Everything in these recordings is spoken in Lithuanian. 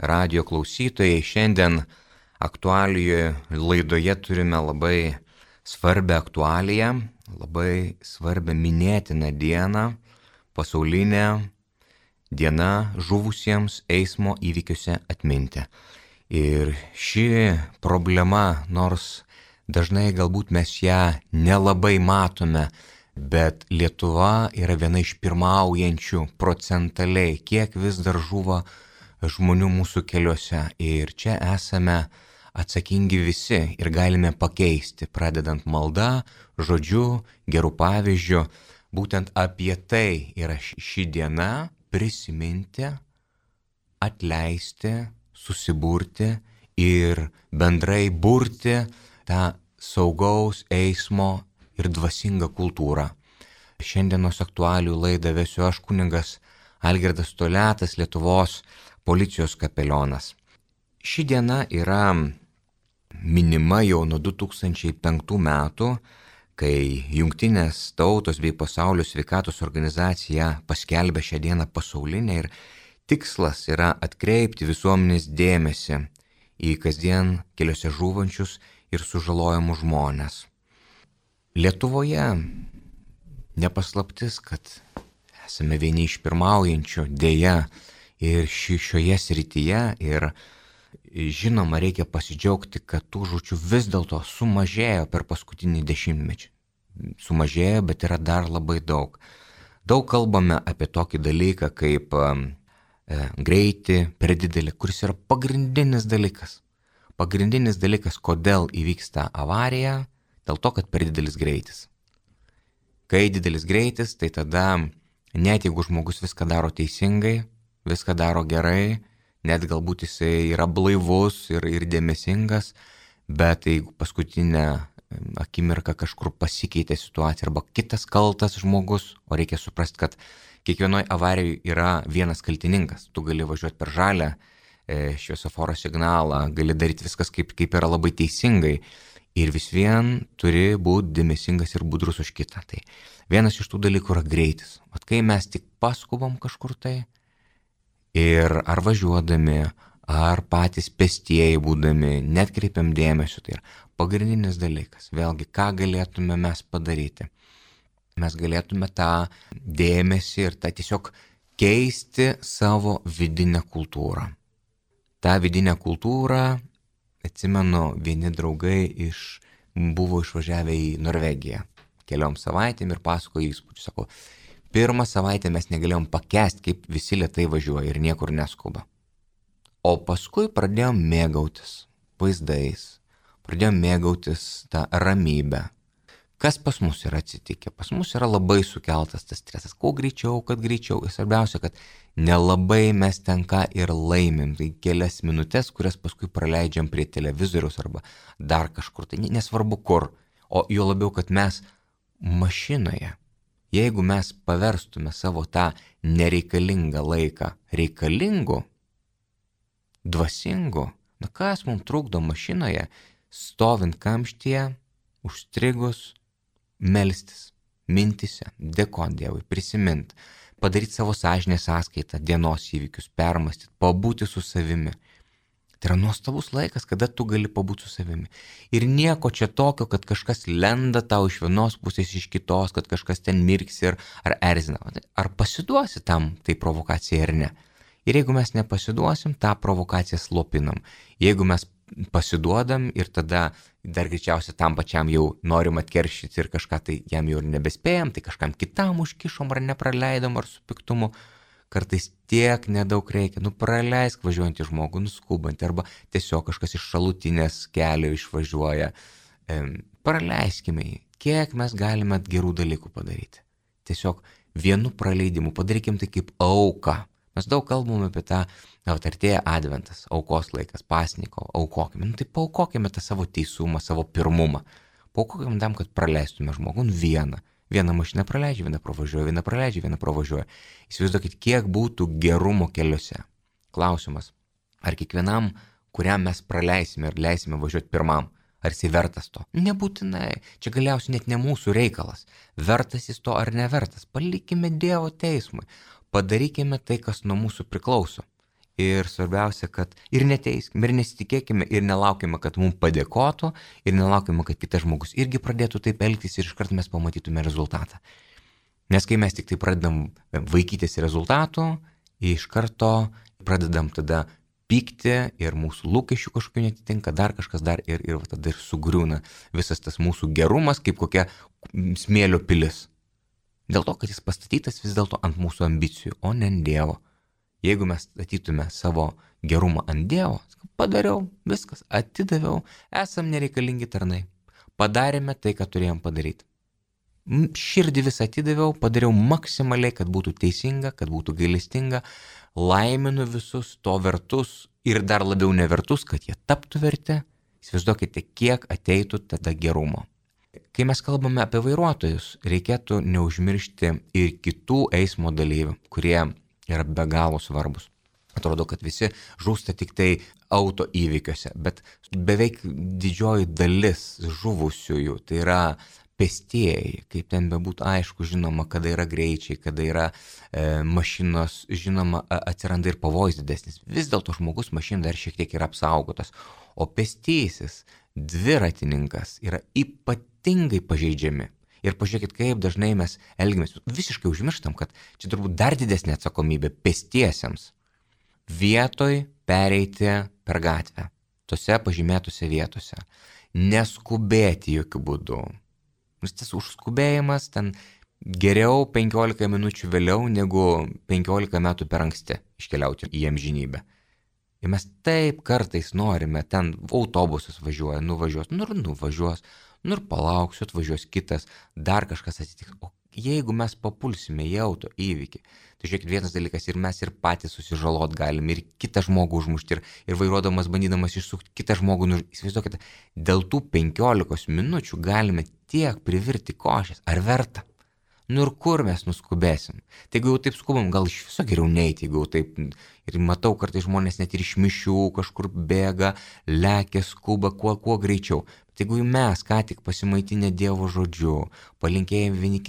radijo klausytojai. Šiandien aktualijoje laidoje turime labai svarbią aktualiją, labai svarbią minėtiną dieną, pasaulinę dieną žuvusiems eismo įvykiuose atminti. Ir ši problema, nors dažnai galbūt mes ją nelabai matome, bet Lietuva yra viena iš pirmaujančių procentaliai, kiek vis dar žuva žmonių mūsų keliuose. Ir čia esame atsakingi visi ir galime pakeisti, pradedant malda, žodžiu, gerų pavyzdžių. Būtent apie tai yra ši diena - prisiminti, atleisti, susiburti ir bendrai burti tą saugaus eismo ir dvasingą kultūrą. Šiandienos aktualijų laidą vesiu aš, kunigas Algirdas Toliatas, Lietuvos policijos kapelionas. Ši diena yra minima jau nuo 2005 metų, kai Jungtinės tautos bei Pasaulio sveikatos organizacija paskelbė šią dieną pasaulinę ir tikslas yra atkreipti visuomenės dėmesį į kasdien keliuose žūvančius ir sužalojamus žmones. Lietuvoje nepaslaptis, kad esame vieni iš pirmaujančių dėja ir šioje srityje ir žinoma reikia pasidžiaugti, kad tų žūčių vis dėlto sumažėjo per paskutinį dešimtmetį. Sumažėjo, bet yra dar labai daug. Daug kalbame apie tokį dalyką kaip greitį per didelį, kuris yra pagrindinis dalykas. Pagrindinis dalykas, kodėl įvyksta avarija, dėl to, kad per didelis greitis. Kai didelis greitis, tai tada net jeigu žmogus viską daro teisingai, viską daro gerai, net galbūt jisai yra blaivus ir dėmesingas, bet jeigu paskutinę akimirką kažkur pasikeitė situacija arba kitas kaltas žmogus, o reikia suprasti, kad kiekvienoje avarijoje yra vienas kaltininkas. Tu gali važiuoti per žalią šviesoforo signalą, gali daryti viskas kaip yra labai teisingai ir vis vien turi būti dėmesingas ir budrus už kitą. Tai vienas iš tų dalykų yra greitis. Vat kai mes tik paskubam kažkur tai ir ar važiuodami, ar patys pėstieji būdami, net kreipiam dėmesio, tai yra pagrindinis dalykas. Vėlgi, ką galėtume mes padaryti? Mes galėtume tą dėmesį ir tą tiesiog keisti savo vidinę kultūrą. Ta vidinė kultūra, atsimenu, vieni draugai buvo išvažiavę į Norvegiją keliom savaitėm ir pasakojo įspūdžius. Sako, pirmą savaitę mes negalėjom pakęsti, kaip visi lėtai važiuoja ir niekur neskuba. O paskui pradėjom mėgautis vaizdais, pradėjom mėgautis tą ramybę. Kas pas mus yra atsitikę? Pas mus yra labai sukeltas tas stresas. Kuo greičiau, kad greičiau. Ir svarbiausia, kad nelabai mes ten ką ir laimim. Tai kelias minutės, kurias paskui praleidžiam prie televizoriaus arba dar kažkur. Tai nesvarbu kur. O jo labiau, kad mes mašinoje, jeigu mes paverstume savo tą nereikalingą laiką reikalingu, dvasingu, kas mums trukdo mašinoje, stovint kamštyje, užstrigus, melstis, mintise, dėkoti Dievui, prisimint, padaryti savo sąžinės sąskaitą, dienos įvykius, permastyti, pabūti su savimi. Tai yra nuostabus laikas, kada tu gali pabūti su savimi. Ir nieko čia tokio, kad kažkas lenda tau iš vienos pusės, iš kitos, kad kažkas ten mirksi ar erzina. Ar pasiduosi tam tai provokacijai ar ne? Ir jeigu mes nepasiduosim, tą provokaciją slopinam. Jeigu mes pasiduodam ir tada dar greičiausiai tam pačiam jau norim atkeršyti ir kažką tai jam jau ir nebespėjam, tai kažkam kitam užkišom ar nepraleidom ar su piktumu. Kartais tiek nedaug reikia, praleisk važiuojantį žmogų, nuskubantį arba tiesiog kažkas iš šalutinės kelio išvažiuoja. Praleiskime jį, kiek mes galime gerų dalykų padaryti. Tiesiog vienu praleidimu padarykim tai kaip auką. Mes daug kalbame apie tą, artėja adventas, aukos laikas, pasniko, aukokime. Tai paaukokime tą savo teisumą, savo pirmumą. Paaukokime tam, kad praleistume žmogų vieną. Vieną mašiną praleidžia, vieną pravažiuoja, vieną praleidžia, vieną pravažiuoja. Įsivaizduokit, kiek būtų gerumo keliuose. Klausimas, ar kiekvienam, kuriam mes praleisime ir leisime važiuoti pirmam, ar jisai vertas to? Nebūtinai. Čia galiausiai net ne mūsų reikalas. Vertas jis to ar nevertas. Palikime Dievo teismui. Padarykime tai, kas nuo mūsų priklauso. ir svarbiausia, kad ir neteiskim, ir nesitikėkime, ir nelaukime, kad mums padėkotų, ir nelaukime, kad kitas žmogus irgi pradėtų taip elgtis ir iškart mes pamatytume rezultatą. Nes kai mes tik tai pradedam vaikytis rezultatų, iš karto pradedam tada pykti ir mūsų lūkesčių kažkokių netitinka, dar kažkas dar ir tada ir sugriūna visas tas mūsų gerumas kaip kokia smėlio pilis. Dėl to, kad jis pastatytas vis dėlto ant mūsų ambicijų, o ne ant Dievo. Jeigu mes statytume savo gerumą ant Dievo, padariau, viskas, atidaviau, esam nereikalingi tarnai, padarėme tai, ką turėjom padaryti. Širdį visą atidaviau, padariau maksimaliai, kad būtų teisinga, kad būtų gailestinga, laiminu visus to vertus ir dar labiau nevertus, kad jie taptų verti. Įsivaizduokite, kiek ateitų tada gerumo. Kai mes kalbame apie vairuotojus, reikėtų neužmiršti ir kitų eismo dalyvių, kurie yra be galo svarbus. Atrodo, kad visi žūsta tik tai auto įvykiuose, bet beveik didžioji dalis žuvusiųjų tai yra pėstieji, kaip ten bebūtų aišku, žinoma, kada yra greičiai, kada yra mašinos, žinoma, atsiranda ir pavojus didesnis. Vis dėlto žmogus mašina dar šiek tiek yra apsaugotas, o pėstysis, dviratininkas yra ypatingai pažeidžiami. Ir pažiūrėkit, kaip dažnai mes elgiamės, visiškai užmirštam, kad čia turbūt dar didesnė atsakomybė pėstiesiems vietoj pereiti per gatvę, tose pažymėtose vietose, neskubėti jokių būdų. Nes tas užskubėjimas ten geriau 15 minučių vėliau negu 15 metų per anksti iškeliauti į amžinybę. Ir mes taip kartais norime, ten autobusas važiuoja, nuvažiuos, nuvažiuos, ir palauksiu, atvažiuos kitas, dar kažkas atsitiks. O jeigu mes papulsime į auto įvykį, tai žiūrėkit, vienas dalykas ir mes ir patys susižalot galim, ir kitą žmogų užmušti, ir vairuodamas, bandydamas išsukti kitą žmogų, įsivaizduokite, dėl tų 15 minučių galime tiek privirti košės. Ar verta? Ir kur mes nuskubėsim? Tai jeigu jau taip skubam, gal iš viso geriau neiti, jeigu jau taip, ir matau kartais žmonės net ir iš mišių kažkur bėga, lekia, skuba, kuo greičiau. Bet jeigu mes ką tik pasimaitinę Dievo žodžiu, palinkėjom vieni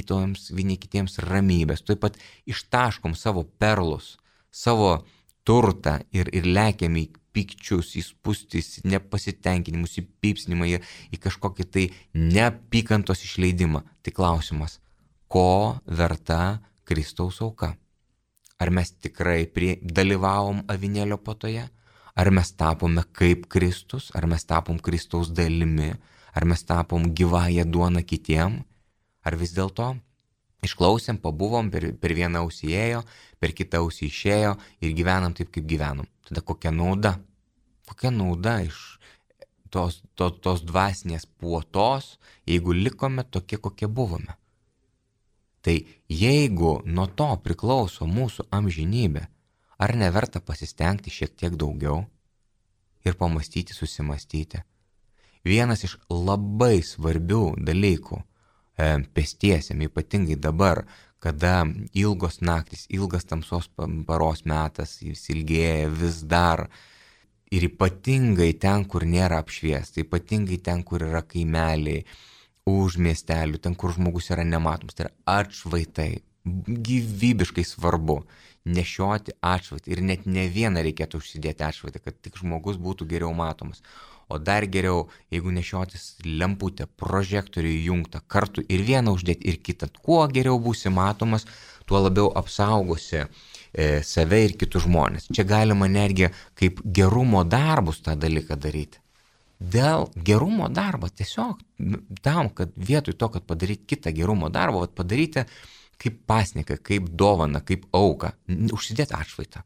kitiems ramybės, taip pat ištaškom savo perlus, savo turtą ir lekiam į pykčius, į spūstis, nepasitenkinimus, į pypsnimą, į kažkokį tai neapykantos išleidimą. Tai klausimas, ko verta Kristaus auka? Ar mes tikrai dalyvavom avinėlio puotoje? Ar mes tapome kaip Kristus? Ar mes tapom Kristaus dalimi? Ar mes tapom gyvąją duoną kitiem? Ar vis dėlto išklausėm, pabuvom, per vieną ausį ėjo, per kitą ausį išėjo ir gyvenam taip, kaip gyvenom? Tada kokia nauda? Kokia nauda iš tos dvasinės puotos, jeigu likome tokie, kokie buvome? Tai jeigu nuo to priklauso mūsų amžinybė, ar neverta pasistengti šiek tiek daugiau ir pamastyti, susimastyti? Vienas iš labai svarbių dalykų pėstiesiem, ypatingai dabar, kada ilgos naktis, ilgas tamsos paros metas, jis ilgėja vis dar, ir ypatingai ten, kur nėra apšviesta, ypatingai ten, kur yra kaimeliai, už miestelių, ten, kur žmogus yra nematomas, tai yra atšvaitai, gyvybiškai svarbu nešioti atšvaitą ir net ne vieną reikėtų užsidėti atšvaitą, kad tik žmogus būtų geriau matomas. O dar geriau, jeigu nešiotis lemputę, prožektorių įjungtą kartu ir vieną uždėti ir kitą, kuo geriau būsi matomas, tuo labiau apsaugosi save ir kitus žmonės. Čia galima netgi kaip gerumo darbus tą dalyką daryti. Dėl gerumo darbo tiesiog tam, kad vietoj to, kad padaryti kitą gerumo darbą, padaryti kaip pasniką, kaip dovaną, kaip auką, užsidėti atšvaitą.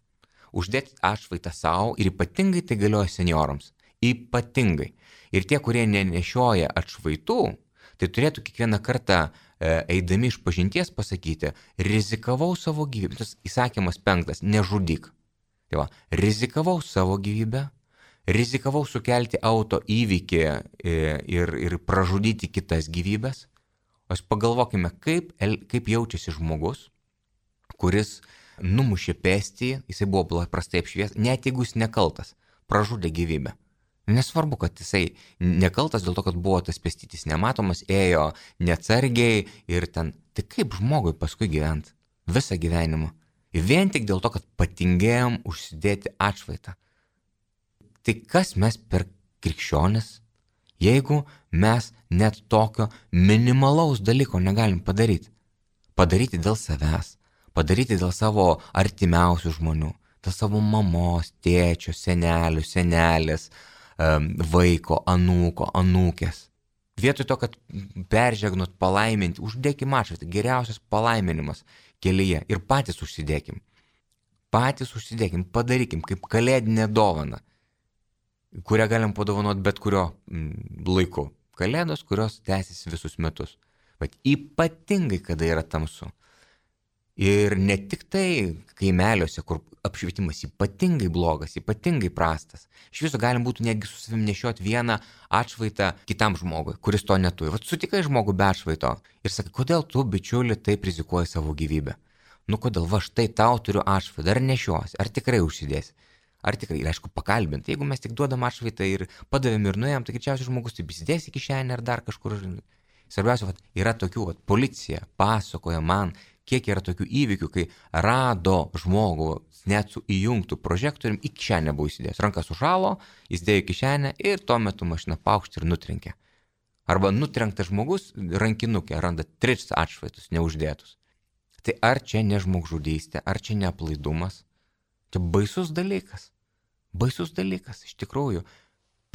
Uždėti atšvaitą savo ir ypatingai tai galioja seniorams. Ypatingai. Ir tie, kurie nenešioja atšvaitų, tai turėtų kiekvieną kartą eidami iš pažinties pasakyti, rizikavau savo gyvybę. Tas įsakymas 5, nežudyk. Tai va, rizikavau savo gyvybę, rizikavau sukelti auto įvykį ir pražudyti kitas gyvybės. O pagalvokime, kaip jaučiasi žmogus, kuris numušė pėstįjį, jisai buvo prastai apšviestas, net jeigu jis nekaltas, pražudė gyvybę. Nesvarbu, kad jisai nekaltas dėl to, kad buvo tas pėstytis nematomas, ėjo neatsargiai ir ten. Tai kaip žmogui paskui gyventi visą gyvenimą? Vien tik dėl to, kad patingėjom užsidėti atšvaitą. Tai kas mes per krikščionis, jeigu mes net tokio minimalaus dalyko negalim padaryti? Padaryti dėl savęs, padaryti dėl savo artimiausių žmonių, dėl savo mamos, tėčio, senelių, senelės, vaiko, anūko, anūkės. Vietoj to, kad peržegnot, palaiminti, uždėkim atšvaitą, geriausias palaiminimas kelyje ir patys užsidėkim. Patys užsidėkim, padarykim kaip kalėdinę dovaną, kurią galim padovanoti bet kurio laiku. Kalėdos, kurios tęsis visus metus. Bet ypatingai, kada yra tamsu. Ir ne tik tai kaimeliuose, kur apšvietimas ypatingai blogas, ypatingai prastas. Iš viso galim būtų netgi su savim nešioti vieną atšvaitą kitam žmogui, kuris to neturi. Vat sutikai žmogų be atšvaito ir sakai, kodėl tu, bičiuli, taip rizikuoji savo gyvybę? Nu kodėl, va štai tau turiu atšvaitą, ar nešiosi, ar tikrai užsidėsi? Ar tikrai, ir aišku, pakalbinti. Jeigu mes tik duodam atšvaitą ir padavėm ir nuėjom, tai greičiausiai žmogus taip įsidės į kišenę ar dar kažkur. Svarbiausia, vat, yra tokių, vat, policija pasakoja man, kiek yra tokių įvykių, kai rado žmogų net su įjungtų prožektorium į kišenę buvo įsidėjęs. Rankas sušalo, jis dėjo į kišenę ir tuo metu mašina paukštė ir nutrenkė. Arba nutrenktas žmogus rankinukę randa 3 atšvaitus neuždėtus. Tai ar čia ne žmogžudystė, ar čia ne aplaidumas? Čia baisus dalykas. Baisus dalykas, iš tikrųjų.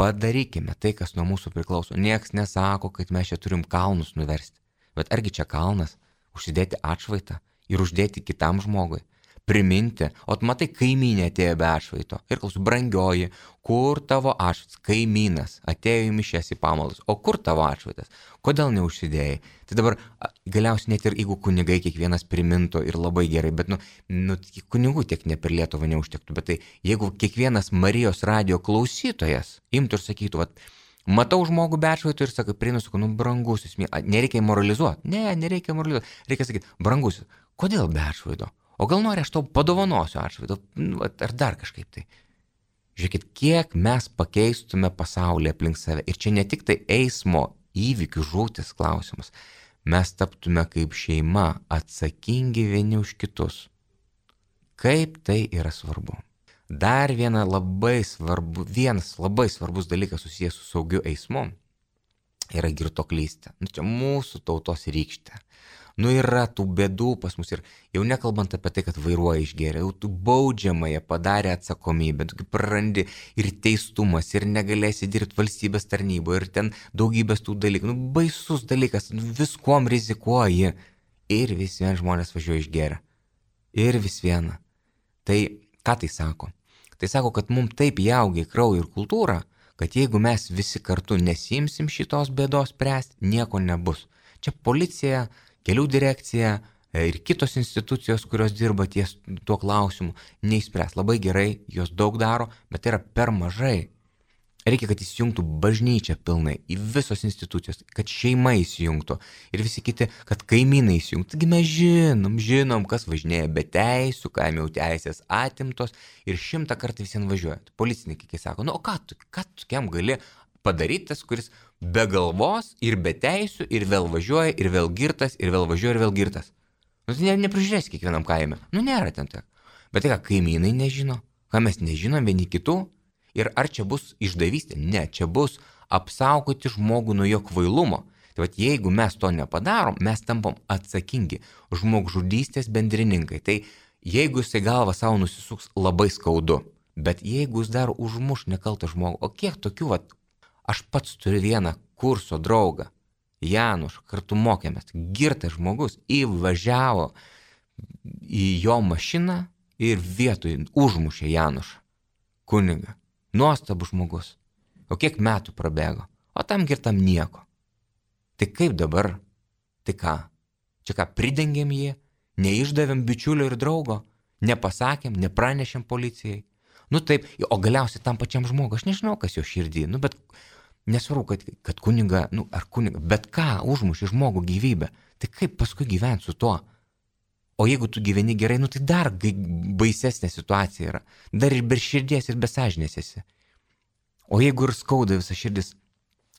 Padarykime tai, kas nuo mūsų priklauso. Nieks nesako, kad mes čia turim kalnus nuversti. Bet argi čia kalnas? Užsidėti atšvaitą ir uždėti kitam žmogui. Priminti, o tu matai, kaimynė atėjo be atšvaito. Ir klausiu, brangioji, kur tavo atšvaitas? Kaimynas atėjo į mišias į pamaldas. O kur tavo atšvaitas? Kodėl neužsidėjai? Tai dabar galiausiai net ir jeigu kunigai kiekvienas primintų ir labai gerai, bet kunigų tiek ne per Lietuvą neužtektų. Bet tai jeigu kiekvienas Marijos radijo klausytojas imtų ir sakytų, vat, matau žmogų be atšvaito ir sakai, prinusiu, brangusis, nereikia moralizuoti. Ne, nereikia moralizuoti. Reikia sakyti, brangusis, kodėl be atšvaito? O gal nori, aš tau padovanosiu atšvaitą, ar dar kažkaip tai. Žiūrėkit, kiek mes pakeistume pasaulį aplink save. Ir čia ne tik tai eismo įvykių žūtis klausimas. Mes taptume kaip šeima atsakingi vieni už kitus. Kaip tai yra svarbu. Dar vienas labai svarbus dalykas susijęs su saugiu eismu yra girtuoklystė. Čia mūsų tautos rykštė. Yra tų bėdų pas mus ir jau nekalbant apie tai, kad vairuoja išgėrę, jau tu baudžiamąją padarė atsakomybę, tu prarandi ir teistumas, ir negalėsi dirbti valstybės tarnyboje, ir ten daugybės tų dalykų. Baisus dalykas, viskuom rizikuoji. Ir vis vien žmonės važiuoja išgėrę. Ir vis viena. Tai ką tai sako? Tai sako, kad mums taip įaugia į kraują ir kultūrą, kad jeigu mes visi kartu nesimsim šitos bėdos spręsti, nieko nebus. Čia policija, kelių direkcija ir kitos institucijos, kurios dirba ties tuo klausimu, neįspręs. Labai gerai, jos daug daro, bet tai yra per mažai. Reikia, kad įsijungtų bažnyčia pilnai į visos institucijos, kad šeima įsijungtų ir visi kiti, kad kaimynai įsijungtų. Taigi mes žinom, kas važinėja be teisų, kam jau teisės atimtos ir 100 kartų visien važiuoja. Policininkai sako, o ką tu kiam gali padaryti tas, kuris be galvos ir be teisų ir vėl važiuoja ir vėl girtas ir vėl važiuoja ir vėl girtas. Tai neprižiūrės kiekvienam kaime. Nėra ten tiek. Bet tai ką kaimynai nežino, ką mes nežinom vieni kitų ir ar čia bus išdavystė? Ne, čia bus apsaugoti žmogų nuo jo kvailumo. Tai vat jeigu mes to nepadarom, mes tampam atsakingi žmogžudystės bendrininkai. Tai jeigu jisai galvą savo nusisuks, labai skaudu. Bet jeigu jis dar užmuš nekaltą žmogų, o kiek tokių aš pats turiu vieną kurso draugą, Janušą, kartu mokėmės, girtas žmogus, įvažiavo į jo mašiną ir vietoj užmušė Janušą, kunigą. Nuostabus žmogus. O kiek metų prabėgo, o tam girtam nieko. Tai kaip dabar? Tai ką? Čia ką, pridengėm jį, neišdavėm bičiulio ir draugo, nepasakėm, nepranešėm policijai. Taip, o galiausiai tam pačiam žmogui, aš nežinau, kas jo širdį, bet nesvarbu, kad kuniga, ar kuniga, bet ką užmušė žmogų gyvybę, tai kaip paskui gyventi su tuo? O jeigu tu gyveni gerai, tai dar baisesnė situacija yra. Dar ir be širdies ir be sąžinės esi. O jeigu ir skauda visa širdis,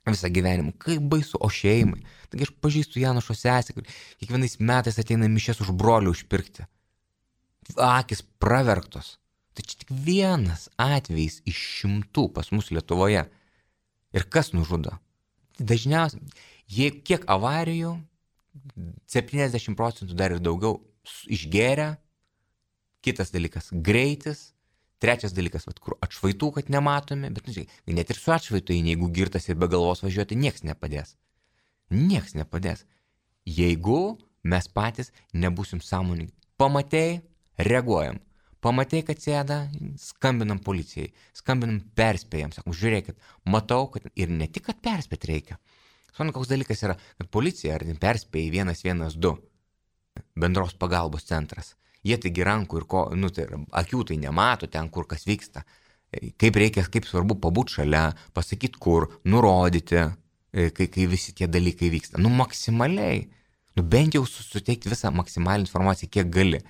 visą gyvenimą, kaip baisu, o šeimai. Taigi aš pažįstu Janušo sesę, kur kiekvienais metais ateina mišias už brolių užpirkti. akis praverktos. Tai čia tik vienas atvejis iš 100 pas mus Lietuvoje. Ir kas nužudo? Dažniausiai, kiek avarijų, 70% dar ir daugiau išgėrę. Kitas dalykas - greitis. Trečias dalykas, kur atšvaitų, kad nematomi. Bet net ir su atšvaitu, jeigu girtas ir be galvos važiuoti, nieks nepadės. Nieks nepadės. Jeigu mes patys nebūsim sąmoningi. Pamatei, reaguojam. Pamatei, kad sėda, skambinam policijai. Skambinam, perspėjam. Sakom, žiūrėkit, matau, kad ir ne tik, kad perspėti reikia. Suprantu, koks dalykas yra, kad policija ar perspėja 112 bendros pagalbos centras. Jie taigi rankų ir tai akių tai nemato ten, kur kas vyksta. Kaip svarbu pabūti šalia, pasakyti kur, nurodyti, kai visi tie dalykai vyksta. Maksimaliai. Bent jau suteikti visą maksimalią informaciją, kiek gali.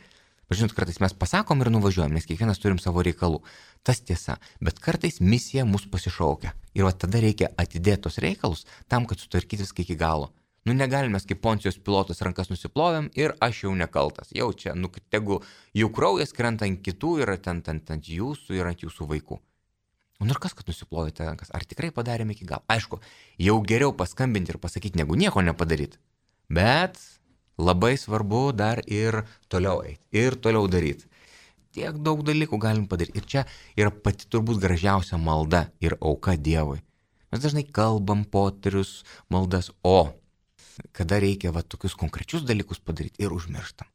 Žinot, kartais mes pasakom ir nuvažiuojam, nes kiekvienas turim savo reikalų. Tas tiesa, bet kartais misija mus pasišaukia. Ir tada reikia atidėti tos reikalus tam, kad sutvarkyti viską iki galo. Negalime mes kaip Poncijos pilotas rankas nusiplovėm ir aš jau nekaltas. Jau čia, tegu jų kraujas krenta ant kitų ir ant jūsų ir ant jūsų vaikų. Ir kas, kad nusiplovėte rankas? Ar tikrai padarėme iki galo? Aišku, jau geriau paskambinti ir pasakyti, negu nieko nepadaryti. Bet labai svarbu dar ir toliau eiti, ir toliau daryti. Tiek daug dalykų galim padaryti. Ir čia yra pati turbūt gražiausia malda ir auka Dievui. Mes dažnai kalbam poterius, maldas, o kada reikia tokius konkrečius dalykus padaryti ir užmirštam.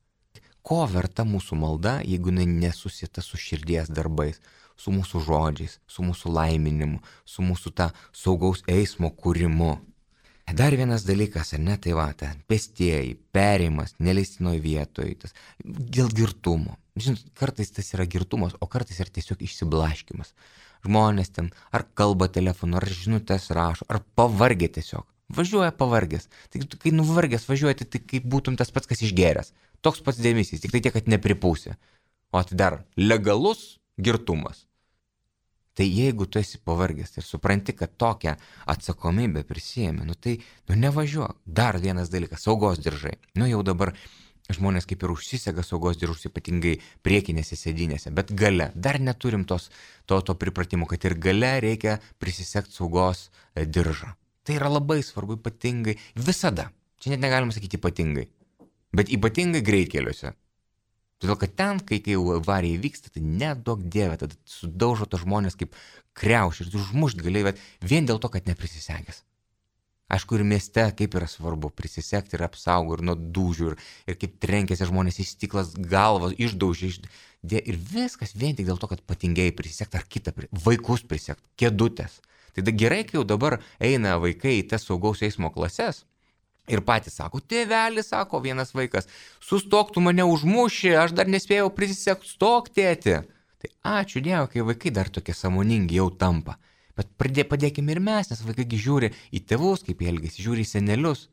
Ko verta mūsų malda, jeigu nesusieta su širdies darbais, su mūsų žodžiais, su mūsų laiminimu, su mūsų ta saugaus eismo kūrimu. Dar vienas dalykas, ar ne, tai pėstieji, perėjimas, neleistinoje vietoje, dėl girtumo. Žinot, kartais tas yra girtumas, o kartais yra tiesiog išsiblaškimas. Žmonės ten ar kalba telefonu, ar žinutės rašo, ar pavargė tiesiog. Važiuoja pavargęs. Tai kai nuvargęs važiuoji, tai kaip būtum tas pats, kas išgėręs. Toks pats dėmesys, tik tai tiek, kad nepripūsi. O tai dar legalus girtumas. Tai jeigu tu esi pavargęs ir supranti, kad tokią atsakomybę prisijėmė, tai nevažiuok. Dar vienas dalykas, saugos diržai. Jau dabar žmonės kaip ir užsisega saugos diržus, ypatingai priekinėse sėdynėse, bet gale. Dar neturim to pripratimo, kad ir gale reikia prisisegti saugos diržą. Tai yra labai svarbu, ypatingai visada. Čia net negalima sakyti ypatingai. Bet ypatingai greitkeliuose. Todėl, kad ten, kai jau avarija vyksta, tai neduok Dieve, tada sudaužo tos žmonės kaip kriaušį ir užmušt galėjai, bet vien dėl to, kad neprisisegęs. Aišku, ir mieste kaip yra svarbu prisisegti ir apsaugo ir nuo dūžių ir kaip trenkėsi žmonės į stiklas galvas, išdaužė ir viskas vien tik dėl to, kad patingėjai prisisegti ar kitą, vaikus prisegti, kėdutės. Tai gerai, kai jau dabar eina vaikai į tas saugaus eismo klases ir patys sako, tėvelis, sako vienas vaikas, sustok, tu mane užmuši, aš dar nespėjau prisisegti, stok, tėti. Tai ačiū Dievui, kai vaikai dar tokie sąmoningi jau tampa. Bet padėkime ir mes, nes vaikai žiūri į tėvus, kaip jie elgiasi, žiūri į senelius.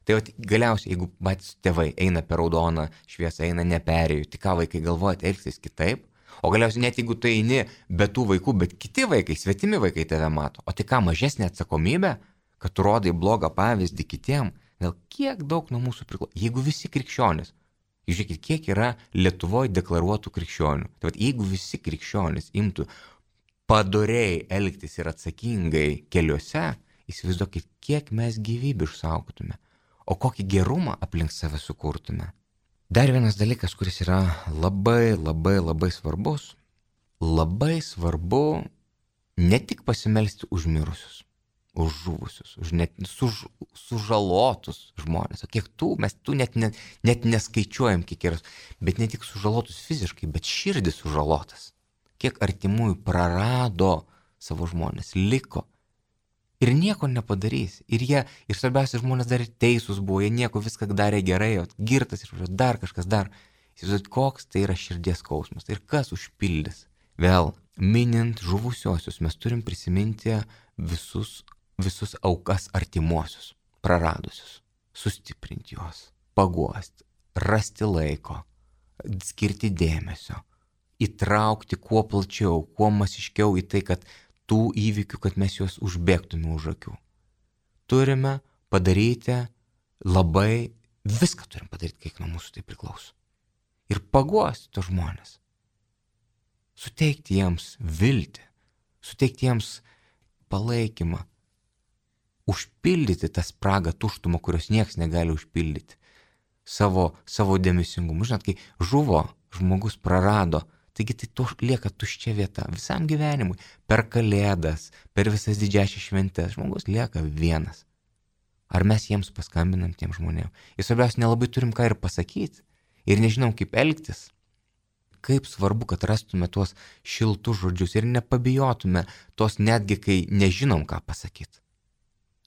Tai galiausiai, jeigu patys tėvai eina per raudoną šviesą, eina neperėjų, tai ką vaikai galvoja, elgsis kitaip? O galiausiai net jeigu tu eini be tų vaikų, bet kiti vaikai, svetimi vaikai tave mato. O tai ką, mažesnė atsakomybė, kad tu rodai blogą pavyzdį kitiem? Gal kiek daug nuo mūsų priklauso? Jeigu visi krikščionys, žiūrėkit, kiek yra Lietuvoje deklaruotų krikščionių. Tai jeigu visi krikščionys imtų padoriai elgtis ir atsakingai keliuose, įsivaizduokit, kiek mes gyvybių išsaugotume, o kokį gerumą aplink save sukurtume. Dar vienas dalykas, kuris yra labai, labai, labai svarbus. Labai svarbu ne tik pasimelsti už mirusius, už žuvusius, už sužalotus žmonės. O kiek mes net neskaičiuojam, kiek yra, bet ne tik sužalotus fiziškai, bet širdis sužalotas. Kiek artimųjų prarado savo žmonės, liko. Ir nieko nepadarys. Ir svarbiausia, žmonės dar teisūs buvo, jie nieko viską darė gerai, o girtas ir dar kažkas dar. Įsivaizduot, koks tai yra širdies skausmas. Ir kas užpildys. Vėl, minint žuvusiosius, mes turim prisiminti visus aukas artimuosius, praradusius. Sustiprinti juos, paguosti, rasti laiko, skirti dėmesio, įtraukti kuo plačiau, kuo masiškiau į tai, kad tų įvykių, kad mes juos užbėgtume už akių. Turime padaryti viską turim padaryti, kiek nuo mūsų tai priklauso. ir paguosti tos žmonės. Suteikti jiems viltį, suteikti jiems palaikymą, užpildyti tą spragą tuštumą, kurios niekas negali užpildyti. Savo dėmesingumu. Žinot, kai žuvo, žmogus prarado, taigi tai lieka tuščia vieta visam gyvenimui. Per Kalėdas, per visas didžiąsias šventes žmogus lieka vienas. Ar mes jiems paskambinam tiem žmonėm? Ir svarbiausia, nelabai turim ką ir pasakyti. Ir nežinom, kaip elgtis. Kaip svarbu, kad rastume tuos šiltus žodžius ir nepabijotume tos netgi, kai nežinom, ką pasakyti.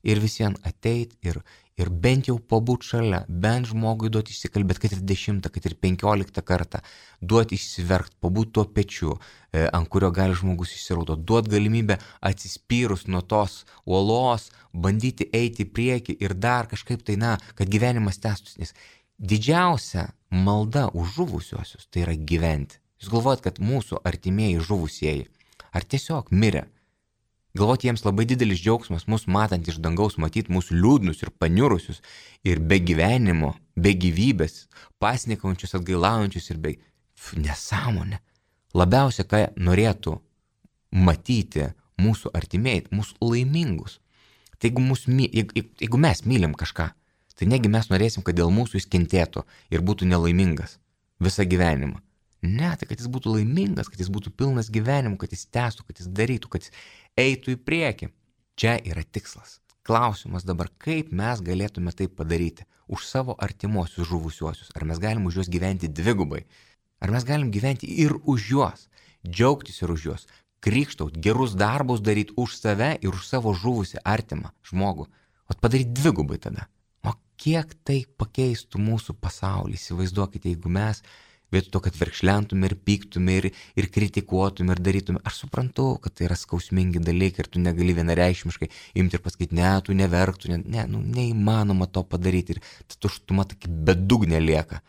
Ir visiems ateit ir bent jau pabūt šalia, bent žmogui duoti išsikalbėti, kad ir 10, kad ir 15 kartą, duoti išsiverkt, pabūt tuo pečiu, ant kurio gali žmogus išsiraudo, duoti galimybę atsispyrus nuo tos uolos, bandyti eiti į priekį ir dar kažkaip tai, kad gyvenimas tęstųsi. Nes didžiausia malda už žuvusiuosius tai yra gyventi. Jūs galvojat, kad mūsų artimieji žuvusieji ar tiesiog mirė? Galvoti jiems labai didelis džiaugsmas, mus matant iš dangaus, matyti mūsų liūdnus ir paniurusius ir be gyvenimo, be gyvybės, pasnikaujančius, atgailaujančius ir be nesąmonę. Labiausia, ką norėtų matyti mūsų artimieji, mūsų laimingus. Tai jeigu mes mylim kažką, tai negi mes norėsim, kad dėl mūsų jis kentėtų ir būtų nelaimingas visą gyvenimą. Ne, tai kad jis būtų laimingas, kad jis būtų pilnas gyvenimų, kad jis tęstų, kad jis darytų, kad jis eitų į priekį. Čia yra tikslas. Klausimas dabar, kaip mes galėtume tai padaryti už savo artimuosius žuvusiuosius. Ar mes galim už juos gyventi dvigubai? Ar mes galim gyventi ir už juos, džiaugtis ir už juos, krikštaut, gerus darbus daryti už save ir už savo žuvusią artimą žmogų. O padaryti dvigubai tada. O kiek tai pakeistų mūsų pasaulį? Įsivaizduokite, jeigu mes vietoj to, kad verkšlentume ir pyktume ir kritikuotume ir darytume. Aš suprantu, kad tai yra skausmingi dalykai ir tu negali vienareikšmiškai imti ir pasakyti, ne, tu neverk, neįmanoma to padaryti ir ta tuštuma tokia bedugnė lieka.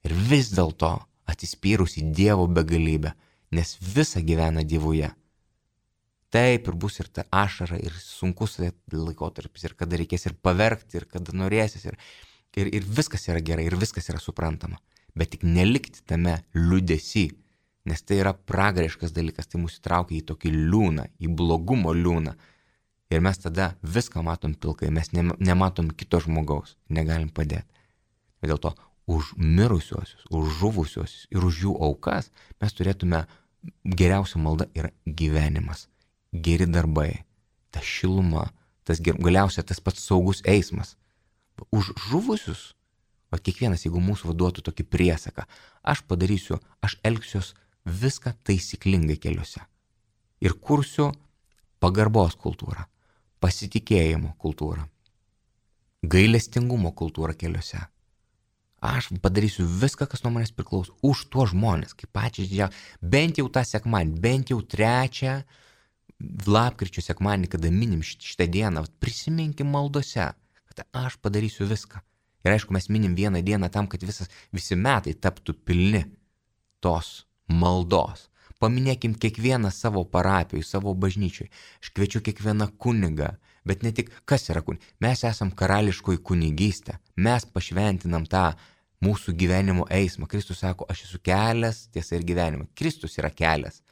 Ir vis dėlto atsispyrus į Dievo begalybę, nes visa gyvena Dievuje. Taip ir bus ir ta ašara ir sunkus laikotarpis ir kada reikės ir paverkti ir kada norėsis ir viskas yra gerai ir viskas yra suprantama. Bet tik nelikti tame liūdesy, nes tai yra pragariškas dalykas, tai mus įtraukia į tokį liūną, į blogumo liūną. Ir mes tada viską matom pilkai, mes nematom kito žmogaus, negalim padėti. Ir dėl to už mirusiuosius, už žuvusiuosius ir už jų aukas mes turėtume, geriausia malda yra gyvenimas, geri darbai, ta šiluma, galiausia tas pats saugus eismas. Už žuvusius, o kiekvienas, jeigu mūsų vaduotų tokį priesaką, aš elgsiuos viską taisyklingai keliuose. Ir kursiu pagarbos kultūrą, pasitikėjimo kultūrą, gailestingumo kultūrą keliuose. Aš padarysiu viską, kas nuo manęs priklauso, už tuos žmonės, kaip pačią didžiausią, bent jau tą sekmanį, bent jau 3 lapkričio sekmanį, kada minim šitą dieną, prisiminkim maldose, kad aš padarysiu viską. Ir aišku, mes minim vieną dieną tam, kad visi metai taptų pilni tos maldos. Paminėkim kiekvieną savo parapijoj, savo bažnyčioj. Aš kviečiu kiekvieną kunigą, bet ne tik, kas yra kunigas. Mes esam karališkoji kunigystė. Mes pašventinam tą mūsų gyvenimo eismą. Kristus sako, aš esu kelias, tiesa ir gyvenimas. Kristus yra kelias.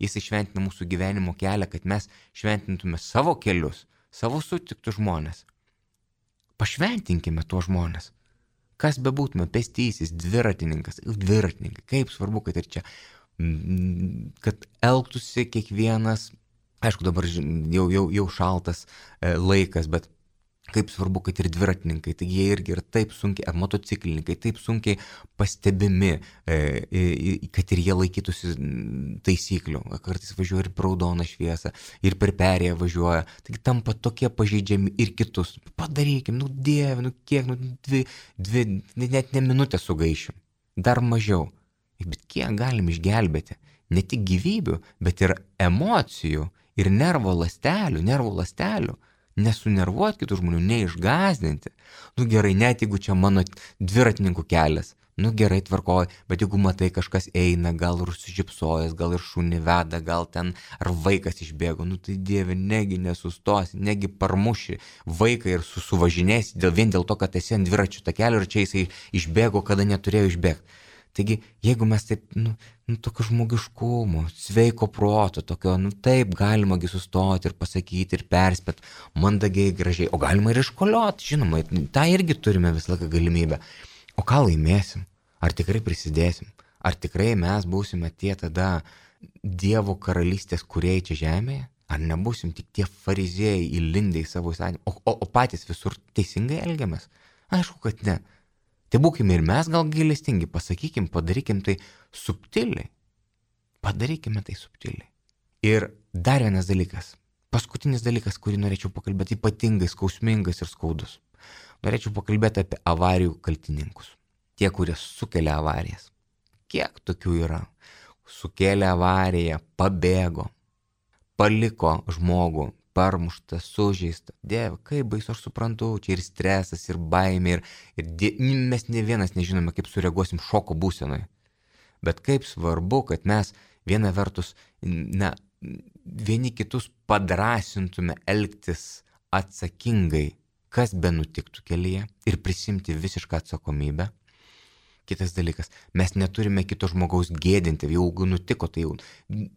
Jis išventina mūsų gyvenimo kelią, kad mes šventintume savo kelius, savo sutiktus žmonės. Pašventinkime tuos žmonės. Kas bebūtume, pėstysis, dviratininkai, kaip svarbu, kad ir čia, kad elgtųsi kiekvienas, aišku, dabar jau šaltas laikas, bet kaip svarbu, kad ir dviratininkai, taigi jie irgi yra taip sunkiai, ar motociklininkai, taip sunkiai pastebimi, kad ir jie laikytųsi taisyklių. Kartais važiuoja ir per raudoną šviesą, ir per perėją važiuoja, taigi tampa tokie pažeidžiami ir kitus. Padarykim, Dieve, kiek, net ne minutę sugaišim, dar mažiau. Bet kiek galim išgelbėti? Ne tik gyvybių, bet ir emocijų, ir nervų ląstelių. Nesunervuoti kitų žmonių, neišgąsdinti. Gerai, net jeigu čia mano dviratininkų kelias, gerai, tvarkoji, bet jeigu matai kažkas eina, gal ir užsižipsojęs, gal ir šunį veda, gal ten ar vaikas išbėgo, tai Dieve, negi nesustosi, negi parmuši vaiką ir suvažinėsi vien dėl to, kad esi ant dviračių takelio ir čia jisai išbėgo, kada neturėjo išbėgti. Taigi, jeigu mes taip, tokio žmogiškumo, sveiko proto, tokio, taip galimagi sustoti ir pasakyti ir perspėti, mandagiai, gražiai, o galima ir iškolioti, žinoma, tą irgi turime visą laiką galimybę. O ką laimėsim? Ar tikrai prisidėsim? Ar tikrai mes būsime tie tada Dievo karalystės kūrėjai čia žemėje? Ar nebūsim tik tie fariziejai įlindę į savo įstatymą, o patys visur teisingai elgiamės? Aišku, kad ne. Tai būkime ir mes gal gailestingi, pasakykim, padarykim tai subtiliai. Padarykime tai subtiliai. Ir dar vienas dalykas, paskutinis dalykas, kurį norėčiau pakalbėti, ypatingai skausmingas ir skaudus. Norėčiau pakalbėti apie avarijų kaltininkus. Tie, kurie sukelia avarijas. Kiek tokių yra? Sukėlė avariją, pabėgo, paliko žmogų, parmuštą, sužeistą. Dieve, kaip baisu, aš suprantu, čia ir stresas, ir baimė, ir mes ne vienas nežinome, kaip sureaguosim šoko būsenoje. Bet kaip svarbu, kad mes viena vertus, vieni kitus padrasintume elgtis atsakingai, kas be nutiktų kelyje, ir prisimti visišką atsakomybę. Kitas dalykas, mes neturime kito žmogaus gėdinti, jeigu nutiko, tai jau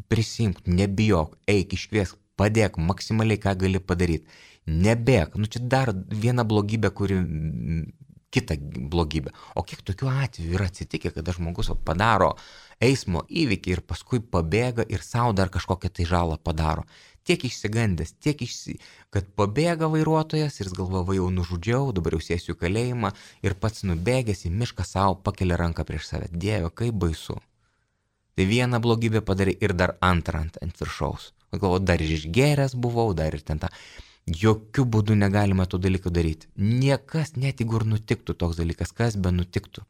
prisimk, nebijok, eik, iškviesk, padėk maksimaliai, ką gali padaryti. Nebėk, čia dar viena blogybė, kuri kita blogybė. O kiek tokių atvejų yra atsitikę, kada žmogus padaro eismo įvykį ir paskui pabėga ir savo dar kažkokią tai žalą padaro. Tiek išsigandęs, kad pabėga vairuotojas ir jis galvoja, jau nužudžiau, dabar jau sėsiu į kalėjimą ir pats nubėgęs į mišką savo pakelia ranką prieš save. Dieve, kaip baisu. Tai vieną blogybę padarai ir dar antrą ant viršaus. Galvoju, dar ir išgėręs buvau, dar ir ten tą. Jokių būdų negalima tų dalykų daryti. Niekas, net jeigu ir nutiktų toks dalykas, kas be nutiktų.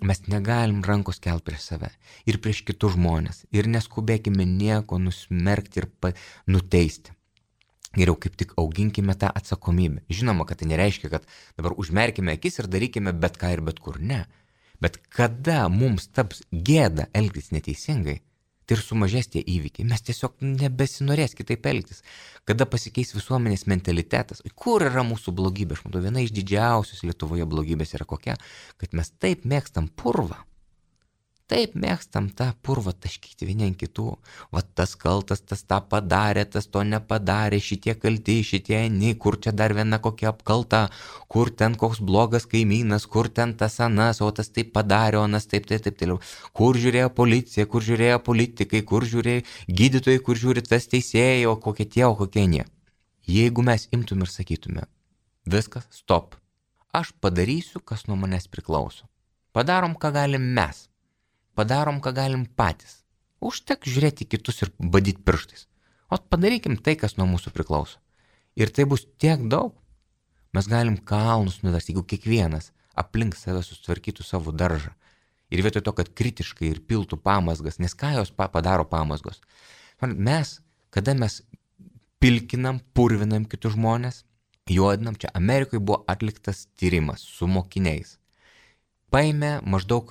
Mes negalim rankos kelt prieš save ir prieš kitus žmonės. Ir neskubėkime nieko nusmerkti ir nuteisti. Geriau kaip tik auginkime tą atsakomybę. Žinoma, kad tai nereiškia, kad dabar užmerkime akis ir darykime bet ką ir bet kur. Ne. Bet kada mums taps gėda elgtis neteisingai, tai ir sumažės tie įvykiai. Mes tiesiog nebesinorės kitaip elgtis. Kada pasikeis visuomenės mentalitetas. Kur yra mūsų blogybė? Aš matau, viena iš didžiausios Lietuvoje blogybės yra kokia, kad mes taip mėgstam purvą. Taip mėgstam tą purvą taškyti vieni ant kitų. Va tas kaltas, tas tą padarė, tas to nepadarė, šitie kalti, šitie nei, kur čia dar viena kokia apkalta, kur ten koks blogas kaimynas, kur ten tas anas, o tas taip padarė, o anas taip toliau. Kur žiūrėjo policija, kur žiūrėjo politikai, kur žiūrėjo gydytojai, kur žiūri tas teisėjai, o kokie tie, o kokie nie. Jeigu mes imtum ir sakytume, viskas, stop, aš padarysiu, kas nuo manęs priklauso. Padarom, ką galim mes. Padarom, ką galim patys. Užtek žiūrėti kitus ir badyti pirštais. O padarykim tai, kas nuo mūsų priklauso. Ir tai bus tiek daug. Mes galim kalnus nuversti, jeigu kiekvienas aplink save sustvarkytų savo daržą. Ir vietoj to, kad kritiškai ir piltų pamazgas, nes ką jos padaro pamazgos? Mes, kada mes pilkinam, purvinam kitus žmonės, juodinam, čia Amerikoje buvo atliktas tyrimas su mokiniais. Paėmė maždaug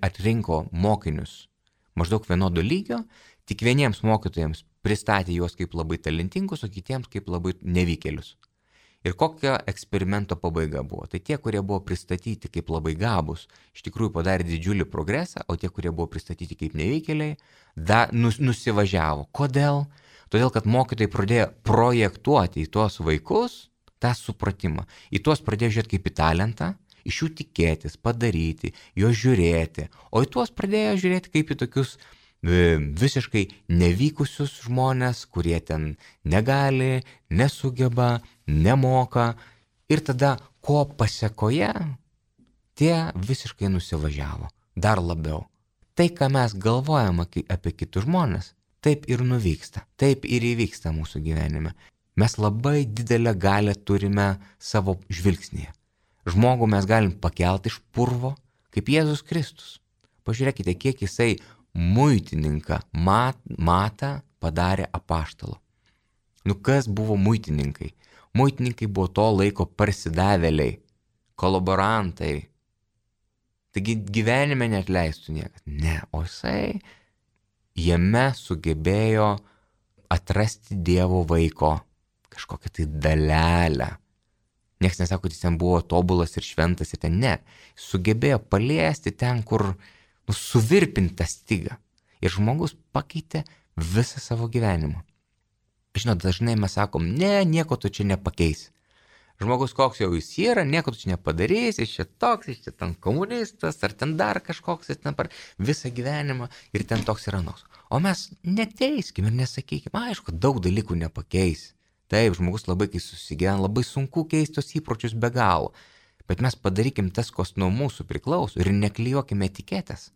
atrinko mokinius maždaug vienodo lygio, tik vieniems mokytojams pristatė juos kaip labai talentingus, o kitiems kaip labai nevykėlius. Ir kokia eksperimento pabaiga buvo? Tai tie, kurie buvo pristatyti kaip labai gabūs, iš tikrųjų padarė didžiulį progresą, o tie, kurie buvo pristatyti kaip nevykėliai, nusivažiavo. Kodėl? Todėl, kad mokytojai pradėjo projektuoti į tuos vaikus tą supratimą. Į tuos pradėjo žiūrėti kaip į talentą, iš jų tikėtis, padaryti, juos žiūrėti, o į tuos pradėjo žiūrėti kaip į tokius visiškai nevykusius žmonės, kurie ten negali, nesugeba, nemoka, ir tada ko pasekoje, tie visiškai nusivažiavo, dar labiau. Tai, ką mes galvojame apie kitus žmonės, taip ir nuvyksta, taip ir įvyksta mūsų gyvenime. Mes labai didelę galią turime savo žvilgsnėje. Žmogų mes galim pakelti iš purvo, kaip Jėzus Kristus. Pažiūrėkite, kiek jisai muitininką Matą padarė apaštalu. Kas buvo muitininkai? Muitininkai buvo to laiko parsidavėliai, kolaborantai. Taigi gyvenime neatleistų niekas. Ne, o jisai jame sugebėjo atrasti Dievo vaiko kažkokią tai dalelę. Niekas nesako, kad jis ten buvo tobulas ir šventas ir ten ne. Sugebėjo paliesti ten, kur suvirpinti tą stygą. Ir žmogus pakeitė visą savo gyvenimą. Žinot, dažnai mes sakom, ne, nieko tu čia nepakeisi. Žmogus koks jau jis yra, nieko tu čia nepadarysi, jis čia toks, jis čia ten komunistas, ar ten dar kažkoks, jis ten per visą gyvenimą ir ten toks ir anoks. O mes neteiskim ir nesakykim, aišku, daug dalykų nepakeisi. Taip, žmogus labai, kai susigyvena, labai sunku keisti tos įpročius be galo. Bet mes padarykim tas, kas nuo mūsų priklauso ir neklijuokime etiketės.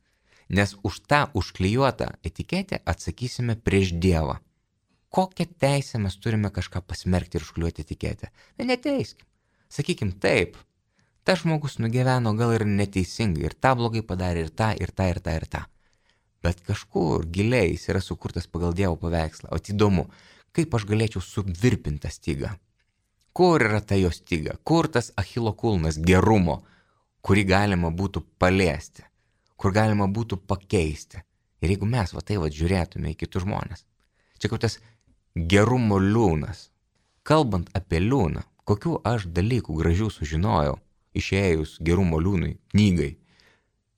Nes už tą užklijuotą etiketę atsakysime prieš Dievą. Kokią teisę mes turime kažką pasmerkti ir užklijuoti etiketę? Neteiskim. Sakykim taip, tas žmogus nugyveno gal ir neteisingai, ir tą blogai padarė, ir tą, ir tą, ir tą, ir tą. Bet kažkur giliai jis yra sukurtas pagal Dievo paveikslą. O įdomu, kaip aš galėčiau suvirpinti tą stygą? Kur yra ta jo styga? Kur tas Achilo kulnas gerumo, kurį galima būtų paliesti? Kur galima būtų pakeisti? Ir jeigu mes žiūrėtume į kitus žmonės. Čia kaip tas gerumo liūnas. Kalbant apie liūną, kokių aš dalykų gražių sužinojau, išėjus gerumo liūnui knygai.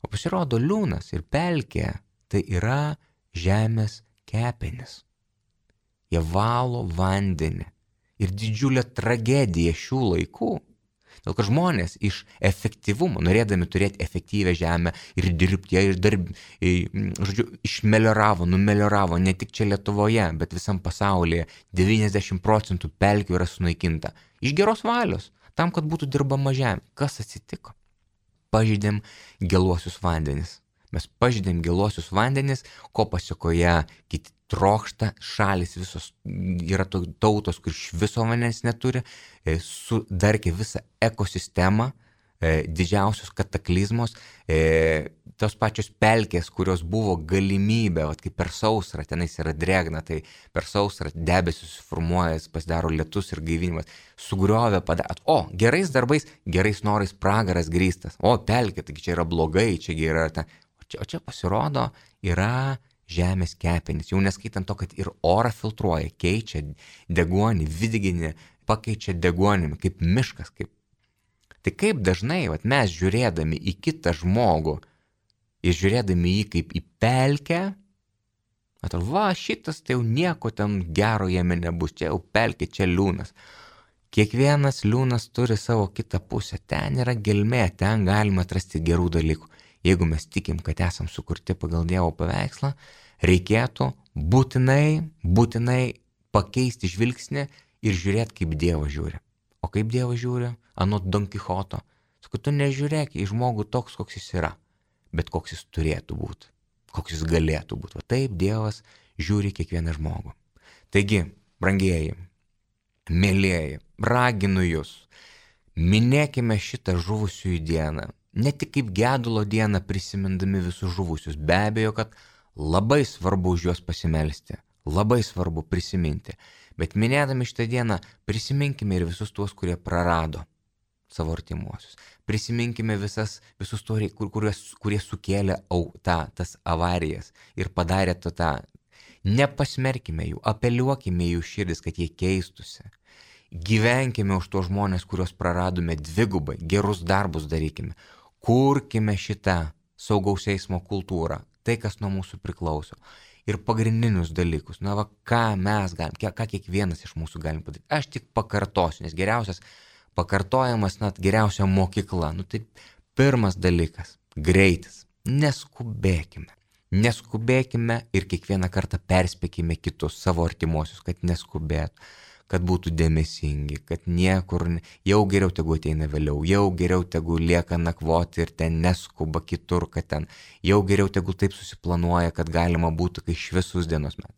O pasirodo liūnas ir pelkė tai yra žemės kepenis. Jie valo vandenį. Ir didžiulė tragedija šių laikų. Dėl kad žmonės iš efektyvumo, norėdami turėti efektyvę žemę ir dirbti, jie numelioravo ne tik čia Lietuvoje, bet visam pasaulyje. 90% pelkių yra sunaikinta. Iš geros valios, tam, kad būtų dirbama žemė. Kas atsitiko? Pažeidėm geluosius vandenis. Mes pažeidėm geluosius vandenis, ko pasekoje kiti trokšta, šalis visos yra tautos, kur iš viso vandens neturi, sudarkė visą ekosistemą, didžiausios kataklizmos, tos pačios pelkės, kurios buvo galimybė, kaip per sausrą, tenais yra drėgna, tai per sausrą debesis susiformuoja, pasidaro lietus ir gaivinimas, sugriovė, gerais darbais, gerais norais pragaras grįstas, pelkė, taigi čia yra blogai, čia yra ta, o čia pasirodo yra žemės kepenis, jau neskaitant to, kad ir orą filtruoja, keičia deguonį, vidiginį, pakeičia deguonimi, kaip miškas. Tai kaip dažnai mes žiūrėdami į kitą žmogų ir žiūrėdami jį kaip į pelkę, atrodo, šitas tai jau nieko ten gero jame nebus, čia jau pelkė, čia liūnas. Kiekvienas liūnas turi savo kitą pusę, ten yra gelmė, ten galima atrasti gerų dalykų. Jeigu mes tikim, kad esam sukurti pagal Dievo paveikslą, reikėtų būtinai pakeisti žvilgsnį ir žiūrėti, kaip Dievas žiūri. O kaip Dievas žiūri? Anot Don Kichoto. Sakau, tu nežiūrėk į žmogų toks, koks jis yra, bet koks jis turėtų būti, koks jis galėtų būti. Taip Dievas žiūri kiekvieną žmogų. Taigi, brangieji, mėlieji, raginu jūs, minėkime šitą žuvusiųjų dieną. Ne tik kaip gedulo dieną prisimindami visus žuvusius, be abejo, kad labai svarbu už juos pasimelsti, labai svarbu prisiminti, bet minėdami šitą dieną prisiminkime ir visus tuos, kurie prarado savo artimuosius. Prisiminkime visus tuos, kurie sukėlė tas avarijas ir padarė tą. Nepasmerkime jų, apeliuokime jų širdis, kad jie keistusi. Gyvenkime už tos žmonės, kuriuos praradome dvigubai, gerus darbus darykime. Kurkime šitą saugaus eismo kultūrą, tai, kas nuo mūsų priklauso. Ir pagrindinius dalykus, ką mes galim, ką kiekvienas iš mūsų galim padaryti. Aš tik pakartosiu, nes geriausias pakartojimas, geriausia mokykla. Tai pirmas dalykas - greitis. Neskubėkime. Neskubėkime ir kiekvieną kartą perspėkime kitus savo artimuosius, kad neskubėtų, kad būtų dėmesingi, kad niekur, jau geriau tegu ateina vėliau, jau geriau tegu lieka nakvoti ir ten neskuba kitur, kad ten, jau geriau tegu taip susiplanuoja, kad galima būtų, kai šviesus dienos metas.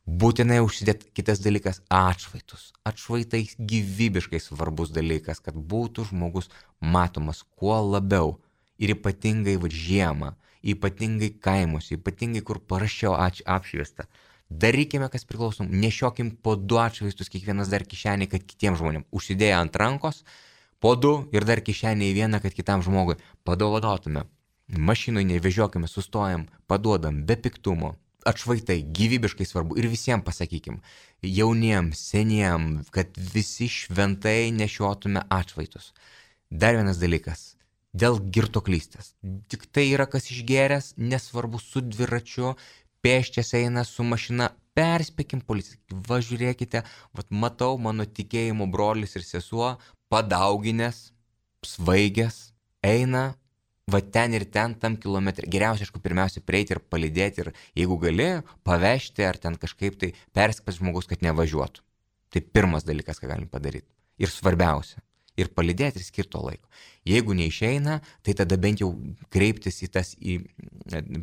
Būtinai užsidėti. Kitas dalykas - atšvaitus. Atšvaitai gyvybiškai svarbus dalykas, kad būtų žmogus matomas kuo labiau ir ypatingai žiemą, ypatingai kaimus, ypatingai kur paraščiau apšviesta. Darykime, kas priklausom, nešiokim po 2 atšvaistus kiekvienas dar kišenį, kad kitiems žmonėms. Užsidėję ant rankos, po 2 ir dar kišenį į vieną, kad kitam žmogui padovanotume. Mašinoj nevežiokime, sustojam, paduodam, be piktumo. atšvaitai, gyvybiškai svarbu. Ir visiems pasakykim, jauniem, seniem, kad visi šventai nešiotume atšvaitus. Dar vienas dalykas. Dėl girtuoklystės. Tik tai yra kas išgėręs, nesvarbu su dviračiu, pėsčias eina su mašina, perspėkim policiją. Va žiūrėkite, matau mano tikėjimo brolis ir sesuo, padauginęs, svaigęs, eina, va ten ir ten tam kilometrė. Geriausia, aišku, pirmiausia prieiti ir palydėti ir jeigu gali, pavežti ar ten kažkaip tai perspėti žmogus, kad nevažiuotų. Tai pirmas dalykas, ką galim padaryti. Ir svarbiausia. Ir palydėti ir skirto laiko. Jeigu neišeina, tai tada bent jau kreiptis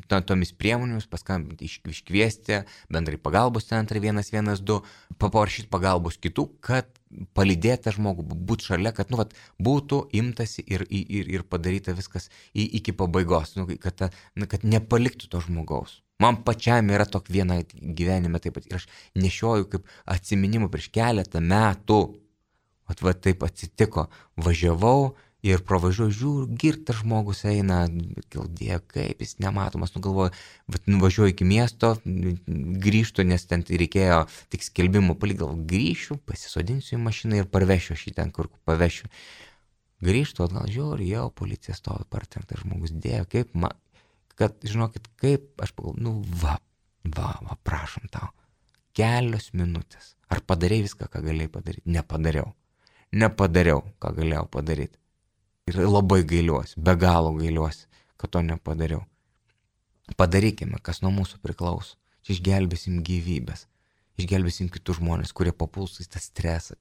tomis priemonėmis, paskambinti, iškviesti bendrai pagalbos centrą 112, paprašyti pagalbos kitų, kad palydėta žmogų, būti šalia, kad būtų imtasi ir padaryta viskas iki pabaigos, kad nepaliktų to žmogaus. Man pačiam yra tokia viena gyvenime taip pat ir aš nešioju kaip atsiminimų prieš keletą metų. Va taip atsitiko, važiavau ir pravažiuoju, žiūriu, girtas žmogus eina, Dieve, kaip jis nematomas, galvoju, nuvažiuoju iki miesto, grįžtu, nes ten reikėjo tik skelbimų palikti, grįšiu, pasisodinsiu į mašiną ir parvešiu šį ten, kur pavešiu. Grįžtu, atgal žiūriu, jau policija stovi, partrenktas žmogus, Dieve, kaip man, kad, žinokit, kaip, aš pagalvoju, va, prašom tau, kelios minutės, ar padarei viską, ką galėjai padaryti? Nepadariau, ką galėjau padaryti. Ir labai gailiuosi, be galo gailiuosi, kad to nepadariau. Padarykime, kas nuo mūsų priklauso. Čia išgelbėsim gyvybės, išgelbėsim kitus žmonės, kurie papuls į tą stresą,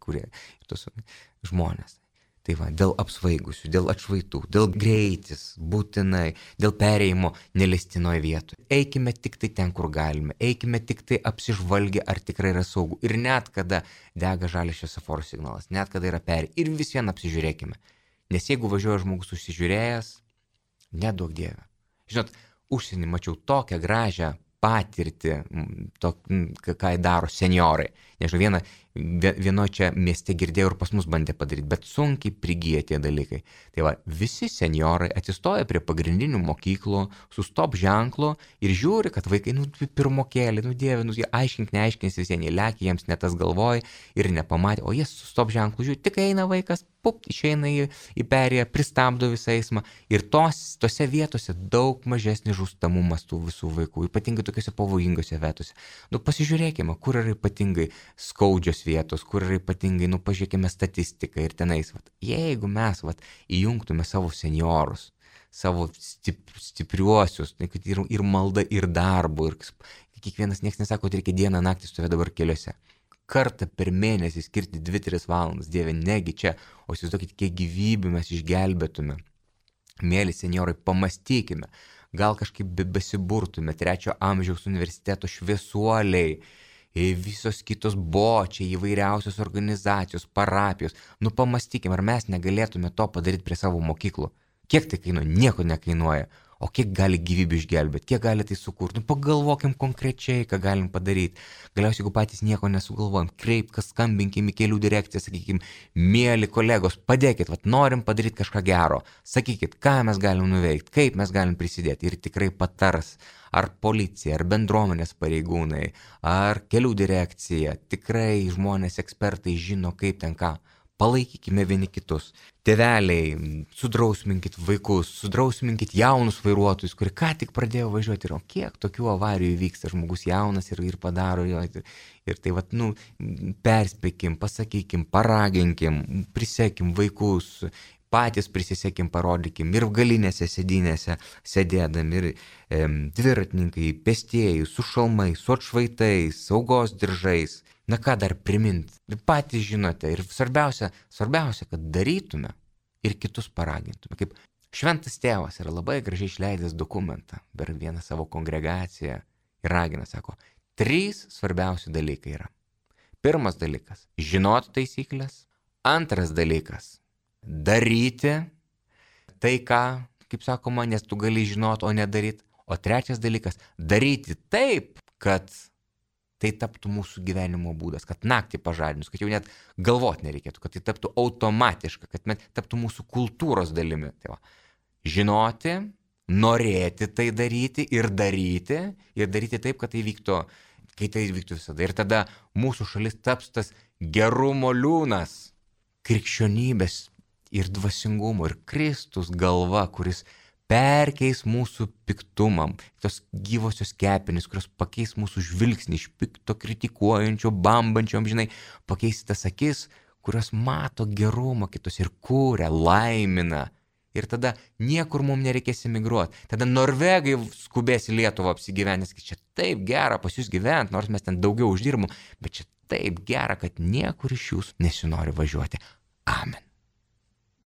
tos žmonės. Tai va, dėl apsvaigusių, dėl atšvaitų, dėl greitis, būtinai, dėl perėjimo nelestinoje vietoje. Eikime tik tai ten, kur galime, eikime tik tai apsižvalgę, ar tikrai yra saugu. Ir net kada dega žalias šviesoforo signalas, net kada yra ir vis vien apsižiūrėkime. Nes jeigu važiuoja žmogus užsižiūrėjęs, neduok Dieve. Žinot, užsienį mačiau tokią gražią patirtį, ką daro senjorai. Nežinau, vieno čia mieste girdėjau ir pas mus bandė padaryti, bet sunkiai prigyja tie dalykai. Tai va, visi senjorai atsistoja prie pagrindinių mokyklų su stop ženklu ir žiūri, kad vaikai, pirmokėlį, Dieve, jie aiškink, neaiškins visiems, jie lekia, jiems ne tas galvoja ir nepamatė, o jie su stop ženklu žiūri, tik eina vaikas, išeina į perėją, pristabdo visą eismą ir tose vietose daug mažesnis žūstamumas tų visų vaikų, ypatingai tokiuose pavojingose vietose. Pasižiūrėkime, kur yra ypatingai skaudžios vietos, kur yra ypatingai, pažiūrėkime statistiką ir tenais. Jeigu mes įjungtume savo senjorus, savo stipriuosius, ir malda, ir darbu, ir kiekvienas nieks nesako, kad reikia dieną naktį stovėti dabar keliuose. Kartą per mėnesį skirti 2-3 valandas, Dieve, negi čia, o įsivaizduokit, kiek gyvybių mes išgelbėtume. Mėly senjorai, pamastykime, gal kažkaip besiburtume, 3 amžiaus universiteto šviesuoliai, visos kitos bočiai, įvairiausios organizacijos, parapijos. Pamastykime, ar mes negalėtume to padaryti prie savo mokyklų. Kiek tai kainuoja? Nieko nekainuoja. O kiek gali gyvybių išgelbėti, kiek gali tai sukurti? Pagalvokim konkrečiai, ką galim padaryti. Galiausiai, jeigu patys nieko nesugalvojam, skambinkim į kelių direkciją, sakykim, mėly kolegos, padėkit, norim padaryti kažką gero. Sakykit, ką mes galim nuveikti, kaip mes galim prisidėti ir tikrai patars. Ar policija, ar bendruomenės pareigūnai, ar kelių direkcija. Tikrai žmonės, ekspertai žino, kaip ten ką. Palaikykime vieni kitus. Tėveliai, sudrausminkit vaikus, sudrausminkit jaunus vairuotojus, kurie ką tik pradėjo važiuoti. Ir kiek tokių avarijų vyksta, žmogus jaunas ir padaro jo. Ir tai perspėkim, pasakykim, paraginkim, prisekim vaikus, patys prisisekim, parodykim ir galinėse sėdynėse sėdėdami, ir dviratininkai, pėstieji, su šalmais, su atšvaitais, saugos diržais. Ką dar priminti? Patys žinote ir svarbiausia, kad darytume ir kitus paragintume. Kaip Šventas Tėvas yra labai gražiai išleidęs dokumentą per vieną savo kongregaciją ir ragina, sako, 3 svarbiausi dalykai yra. Pirmas dalykas - žinoti taisyklės. Antras dalykas - daryti tai, ką, kaip sakoma, nes tu gali žinoti, o nedaryti. O trečias dalykas - daryti taip, kad tai taptų mūsų gyvenimo būdas, kad naktį pažadinus, kad jau net galvoti nereikėtų, kad tai taptų automatiška, kad taptų mūsų kultūros dalimi. Tai va, žinoti, norėti tai daryti ir daryti taip, kad tai vyktų, kai tai vyktų visada. Ir tada mūsų šalis taps tas gerumo liūnas, krikščionybės ir dvasingumo ir Kristus galva, kuris perkeis mūsų piktumą, tos gyvosios kepenys, kurios pakeis mūsų žvilgsnį iš pikto, kritikuojančio, bambančio, žinai, pakeis tas akis, kurios mato gerumą kitus ir kūria, laimina. Ir tada niekur mums nereikės emigruoti. Tada norvegai skubės į Lietuvą apsigyventi, nes čia taip gera pas jūs gyventi, nors mes ten daugiau uždirbam, bet čia taip gera, kad niekur iš jūsų nesinori važiuoti.